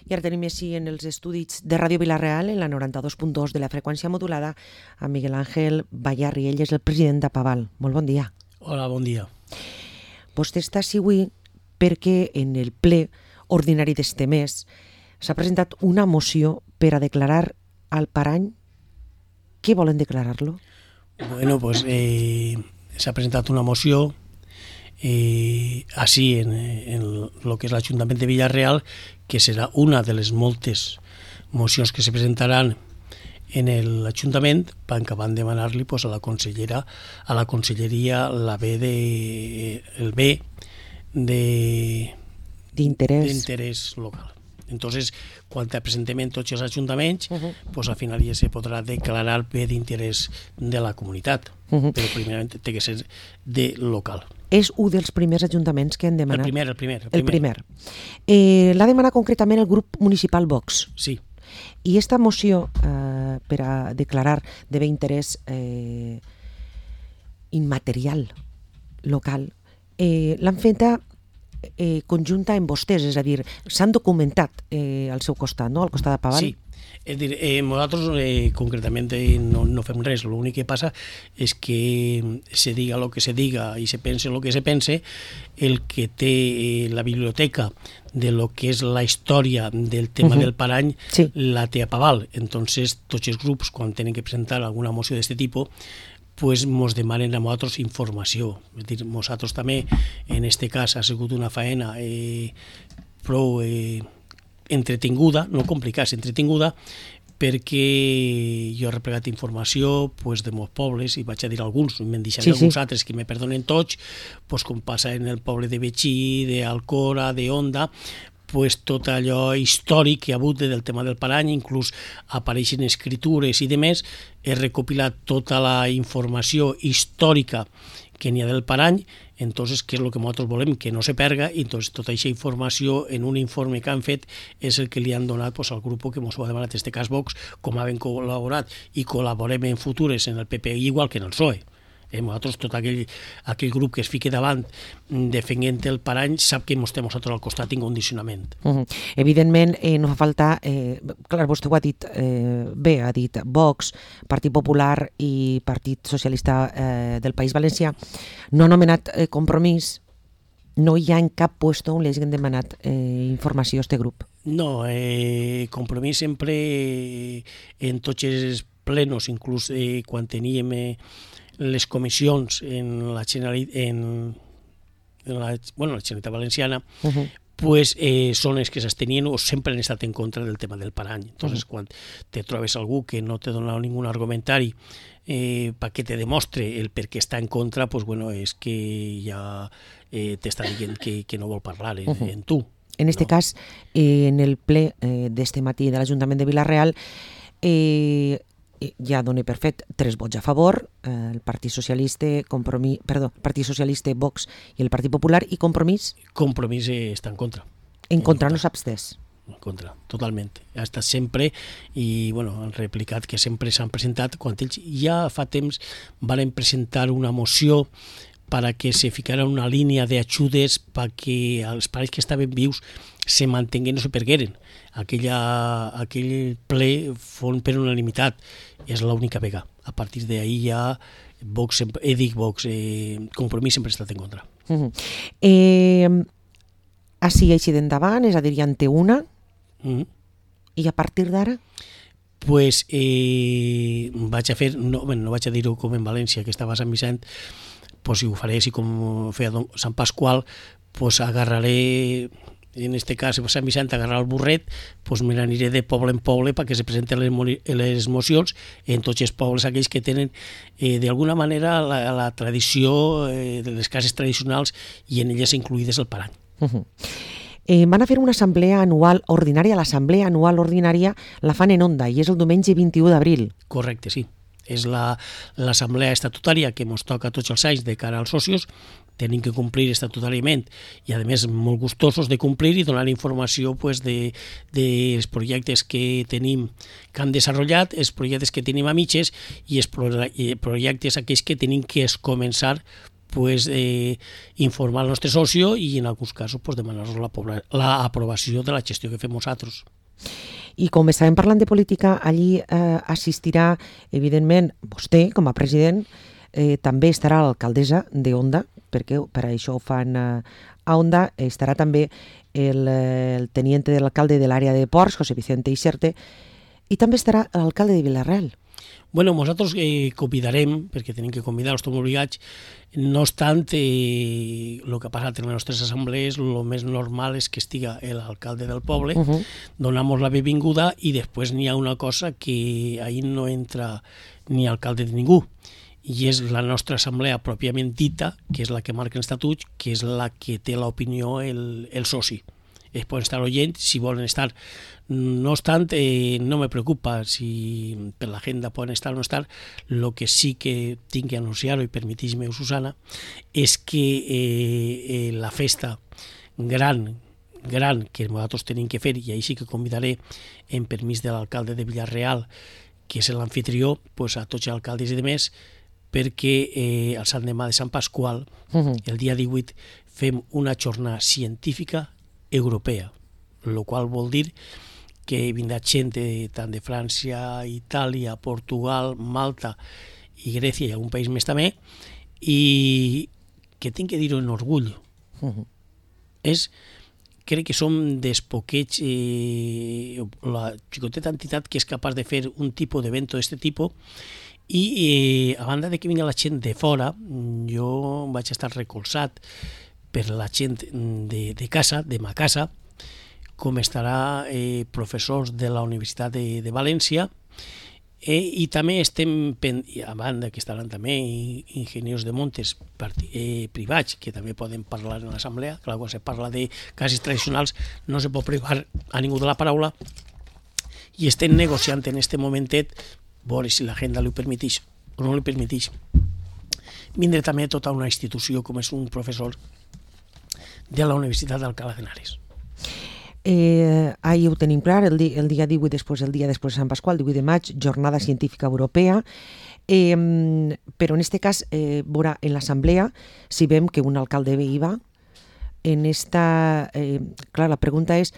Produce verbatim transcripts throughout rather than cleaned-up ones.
I ara tenim així en els estudis de Ràdio Vila-real, en la noranta-dos punt dos de la freqüència modulada, a Miguel Ángel Bayarri. Ell és el president d'Apaval. Molt bon dia. Hola, bon dia. Vostè està així avui perquè en el ple ordinari d'este mes s'ha presentat una moció per a declarar al Parany. Què volen declarar-lo? Bueno, pues eh, s'ha presentat una moció eh, així en, en lo que és l'Ajuntament de Vila-real, que serà una de les moltes mocions que se presentaran en l'Ajuntament, que van demanar-li pues, a la consellera, a la conselleria la B de, el B de d'interès local. Entonces, quan presentem en tots els ajuntaments, uh-huh. pues, al final ja se podrà declarar bé d'interès de la comunitat, uh-huh. però primerament té que ser de local. És un dels primers ajuntaments que han demanat. El primer, el primer. El primer. El primer. Eh, l'ha demanat concretament el grup municipal Vox. Sí. I esta moció, eh, per a declarar de bé interès eh, immaterial local, eh, l'han feta Eh, conjunta amb vostès, és a dir, s'han documentat eh, al seu costat, no? Al costat d'Apaval. Sí, és dir, eh, nosaltres eh, concretament eh, no, no fem res, l'únic que passa és que se diga el que se diga i se pense el que se pense, el que té eh, la biblioteca de lo que és la història del tema uh-huh. del Parany, sí. la té Apaval. Entonces, tots els grups, quan tenen que presentar alguna moció d'aquest tipus, pues mos demanen a nosaltres informació. És dir, nosaltres també, en este cas, ha sigut una faena eh, prou eh, entretinguda, no complicada, entretinguda, perquè jo he replegat informació pues, de molts pobles, i vaig a dir alguns, me'n deixaré sí, alguns sí. altres que me perdonen tots, pues, com passa en el poble de Betxí, d'Alcora, d'Onda, pues, tot allò històric que ha hagut del tema del Parany, inclús apareixen escritures i demés. He recopilat tota la informació històrica que n'hi ha del Parany, entonces, què és el que nosaltres volem? Que no se perga, i entonces, tota aquesta informació en un informe que han fet és el que li han donat pues, al grup que ens ho ha demanat, en aquest cas Vox, com havent col·laborat i col·laborem en futures en el P P I, igual que en el P S O E. Eh, nosaltres, tot aquell, aquell grup que es fiqui davant defendent el Parany sap que ens estem nosaltres al costat incondicionament. Uh-huh. Evidentment, eh, no fa falta, eh, clar, vostè ho ha dit eh, bé, ha dit Vox, Partit Popular i Partit Socialista eh, del País Valencià, no ha anomenat eh, Compromís, no hi ha en cap puesto on li hagin demanat eh, informació a aquest grup. No, eh, Compromís sempre eh, en tots els plenos, inclús eh, quan teníem eh, les comissions en la Generalitat, en, en la, bueno, la Generalitat Valenciana, uh-huh. pues, eh, són els que s'abstenien o sempre han estat en contra del tema del Parany. Entonces, uh-huh. quan te trobes algú que no te dona ningún argumentari eh, perquè te demostre el per què està en contra, pues, bueno, és que ja eh, t'està dient que, que no vol parlar en, uh-huh. en tu. En este no? cas, eh, en el ple eh, d'este matí de l'Ajuntament de Vila-real, eh, ja dona per fet tres vots a favor, eh, el Partit Socialista, Compromís, perdó, Partit Socialista, Vox i el Partit Popular, i Compromís? Compromís eh, està en contra. En contra, en contra. No s'ha abstès? En contra, totalment. Ha estat sempre, i bueno, han replicat que sempre s'han presentat, quan ells ja fa temps van presentar una moció para que se ficara una línia d'ajudes perquè els pares que estaven vius se mantinguen, no se pergueren. Aquella, aquell ple fon per unanimitat, és l'única vega. A partir d'ahir ja Vox, eh, dic Vox, eh, Compromís sempre ha estat en contra. Uh-huh. Eh, així així d'endavant, és a dir, ja en té una, uh-huh. i a partir d'ara? Pues eh, vaig a fer, no, bueno, no vaig a dir-ho com en València, que estava a Sant Vicent, pues si ho faré així com feia Sant Pasqual, pues agarraré, en este cas a Sant Vicent, agarrar el burret, pues me n'aniré de poble en poble perquè se presenten les, les mocions en tots els pobles aquells que tenen eh, d'alguna manera la, la tradició eh, de les cases tradicionals i en elles incluïdes el Parany. Uh-huh. Eh, van a fer una assemblea anual ordinària, l'assemblea anual ordinària la fan en Onda i és el diumenge vint-i-u d'abril. Correcte, sí. És l'assemblea estatutària que ens toca tots els anys de cara als socis, tenim que complir estatutàriament i a més molt gustosos de complir i donar informació pues, de, dels projectes que tenim que han desenvolupat, els projectes que tenim a mitges i els projectes aquells que tenim que començar pues, eh, informar el nostre socio i en alguns casos pues, demanar-nos l'aprovació de la gestió que fem nosaltres. I com estàvem parlant de política, allí eh, assistirà, evidentment, vostè com a president, eh, també estarà l'alcaldessa de Onda, perquè per això ho fan eh, a Onda, estarà també el, el teniente de l'alcalde de l'àrea de Ports, José Vicente Ixerte, i també estarà l'alcalde de Vila-real. Bueno, nosaltres eh, convidarem, perquè tenim que convidar, estem obligats, no obstant, eh, el que ha passat en les nostres assemblees, el més normal és que estiga l'alcalde del poble, uh -huh. donamos la benvinguda i després n'hi ha una cosa que ahir no entra ni alcalde de ningú, i és la nostra assemblea pròpiament dita, que és la que marca els estatuts, que és la que té l'opinió el, el soci. Es poden estar oient si volen estar. No obstant, eh, no me preocupa si per l'agenda poden estar o no estar. El que sí que tinc que anunciar-ho, i permetís-me, Susana, és que eh, eh, la festa gran, gran que nosaltres tenim que fer, i ahir sí que convidaré, en permís de l'alcalde de Vila-real, que és l'anfitrió, pues, a tots els alcaldes i demés, perquè eh, el Sant Demà de Sant Pasqual, uh-huh. el dia divuit, fem una jornada científica europea, el qual vol dir que vindrà gent de, tant de França, Itàlia, Portugal, Malta i Grècia i algun país més també, i que tinc que dir-ho en orgull. Uh-huh. És, crec que som dels poquets, eh, la xicoteta entitat que és capaç de fer un tipus d'evento d'aquest tipus, i eh, a banda de que vinga la gent de fora, jo vaig estar recolzat per la gent de, de casa, de ma casa, com estarà eh, professors de la Universitat de, de València, eh, i també estem, a banda que estaran també enginyers de montes eh, privats, que també poden parlar en l'assemblea. Clar, quan se parla de cases tradicionals no se pot privar a ningú de la paraula, i estem negociant en aquest momentet, veure si l'agenda li permeteix o no li permeteix, vindre també tota una institució com és un professor de la Universitat d'Alcalá de Henares. Eh, ahir ho tenim clar, el, di el dia divuit, després el dia després de Sant Pasqual, el divuit de maig, Jornada Científica Europea, eh, però en aquest cas, eh, veurà, en l'assemblea, si vem que un alcalde ve i va, en esta... Eh, clar, la pregunta és,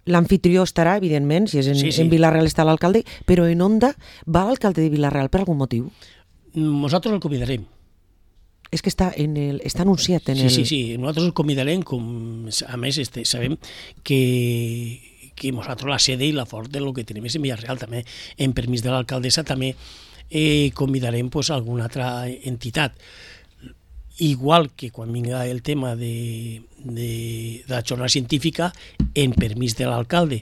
l'anfitrió estarà, evidentment, si és en, sí, sí. en Vila-real està l'alcalde, però en Onda va l'alcalde de Vila-real per algun motiu? Nosaltres el convidarem. És que està, en el, està anunciat en sí, el... Sí, sí, sí, nosaltres el convidarem, com, a més este, sabem que, que nosaltres la sede i la fort de lo que tenim és en Vila-real, també en permís de l'alcaldessa també eh, convidarem pues, alguna altra entitat. Igual que quan vinga el tema de, de, de la jornada científica, en permís de l'alcalde,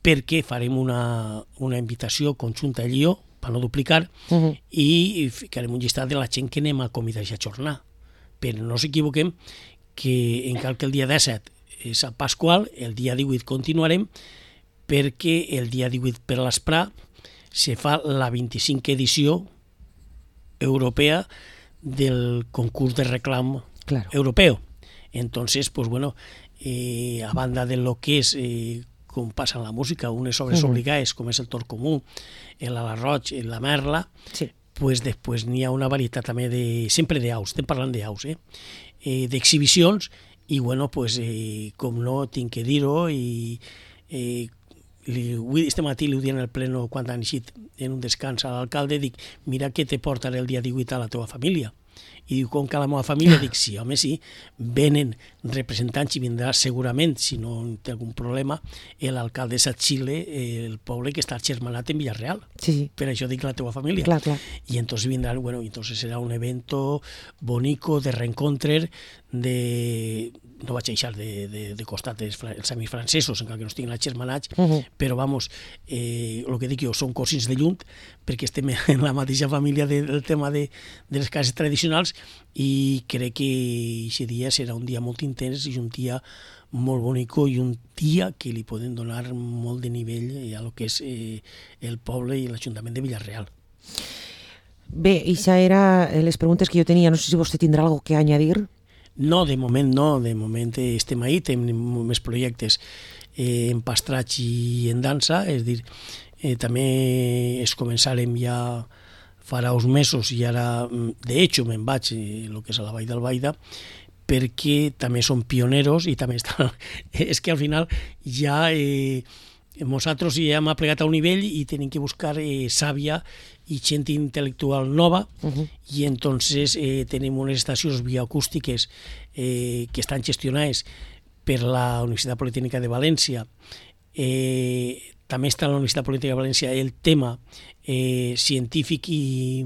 perquè farem una, una invitació conjunta a Lió, per no duplicar, uh-huh. i ficarem un llistat de la gent que anem a convidar a aquesta jornada. Però no s'equivoquem que encara que el dia disset és a Pasqual, el dia divuit continuarem, perquè el dia divuit per l'Esprà se fa la vint-i-cinquena edició europea del concurs de reclam claro. europeo. Entonces, pues bueno, eh, a banda de lo que es, eh, com passa en la música, unes obres uh-huh. obligades, com és el Tor Comú, l'Ala Roig, la Merla, sí. pues després n'hi ha una varietat també de, sempre d'aus, estem parlant d'aus, eh? eh, d'exhibicions, i bueno, pues, eh, com no, tinc que dir-ho, i eh, este matí li ho dient en el pleno quan han eixit en un descans a l'alcalde, dic, mira què te portaré el dia divuit a la teva família. I diu, com que a la meva família? Dic, sí, home, sí, venen representants i vindrà segurament, si no té algun problema, l'alcaldessa Xile, el poble que està germanat en Villarreal. Sí, sí. Per això dic la teva família. Clar, clar. Y entonces vendrán, bueno, entonces será un evento bonito de reencontre, de... no vaig a deixar de, de, de costat els, els amics francesos, encara que no estiguin germanats, uh -huh. però vamos, eh, el que dic jo, són cosins de lluny, perquè estem en la mateixa família de, del tema de, de les cases tradicionals, i crec que aquest dia serà un dia molt intens i un dia molt bonic i un dia que li poden donar molt de nivell a lo que és eh, el poble i l'Ajuntament de Villarreal. Bé, això eren les preguntes que jo tenia. No sé si vostè tindrà alguna cosa que añadir. No, de moment no, de moment estem ahí, tenim més projectes eh, en pastratge i en dansa, és a dir, eh, també es començarem ja farà uns mesos i ara, de hecho, me'n vaig eh, el que és a la Vall d'Albaida, perquè també són pioneros i també estan... és que al final ja eh, Nosaltres ja hem plegat a un nivell i tenim que buscar eh, sàvia i gent intel·lectual nova, uh -huh. i entonces eh, tenim unes estacions bioacústiques eh, que estan gestionades per la Universitat Politècnica de València. Eh, també està a la Universitat Politècnica de València el tema eh, científic i,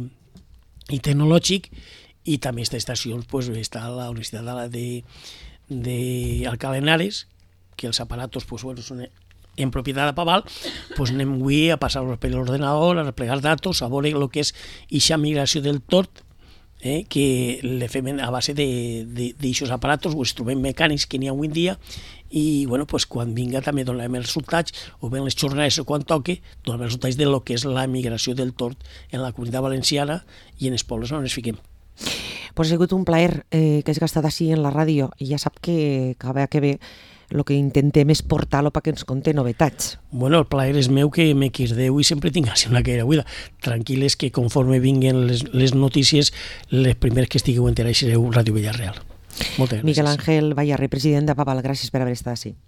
i tecnològic, i també aquesta estació pues, està a la Universitat de, de Alcalá de Henares, que els aparatos pues, bueno, són en propietat de Paval, pues anem avui a passar-los per l'ordenador, a replegar datos, a veure el que és aquesta migració del tord, eh, que le fem a base d'aixòs aparatos o instruments mecànics que n'hi ha avui en dia, i bueno, pues, quan vinga també donem els resultats, o bé en les jornades o quan toque, donem els resultats de lo que és la migració del tord en la Comunitat Valenciana i en els pobles on ens fiquem. Pues ha sigut un plaer eh, que has gastat així en la ràdio, i ja sap que cada que ve el que intentem és portar-lo perquè ens conté novetats. Bueno, el plaer és meu que me quirdeu i sempre tinc així una caire buida. Tranquil·les que conforme vinguen les, les notícies, les primeres que estigueu enterats sereu Ràdio Villarreal. Moltes gràcies. Miguel Ángel Bayarri, president de Paval, gràcies per haver estat així.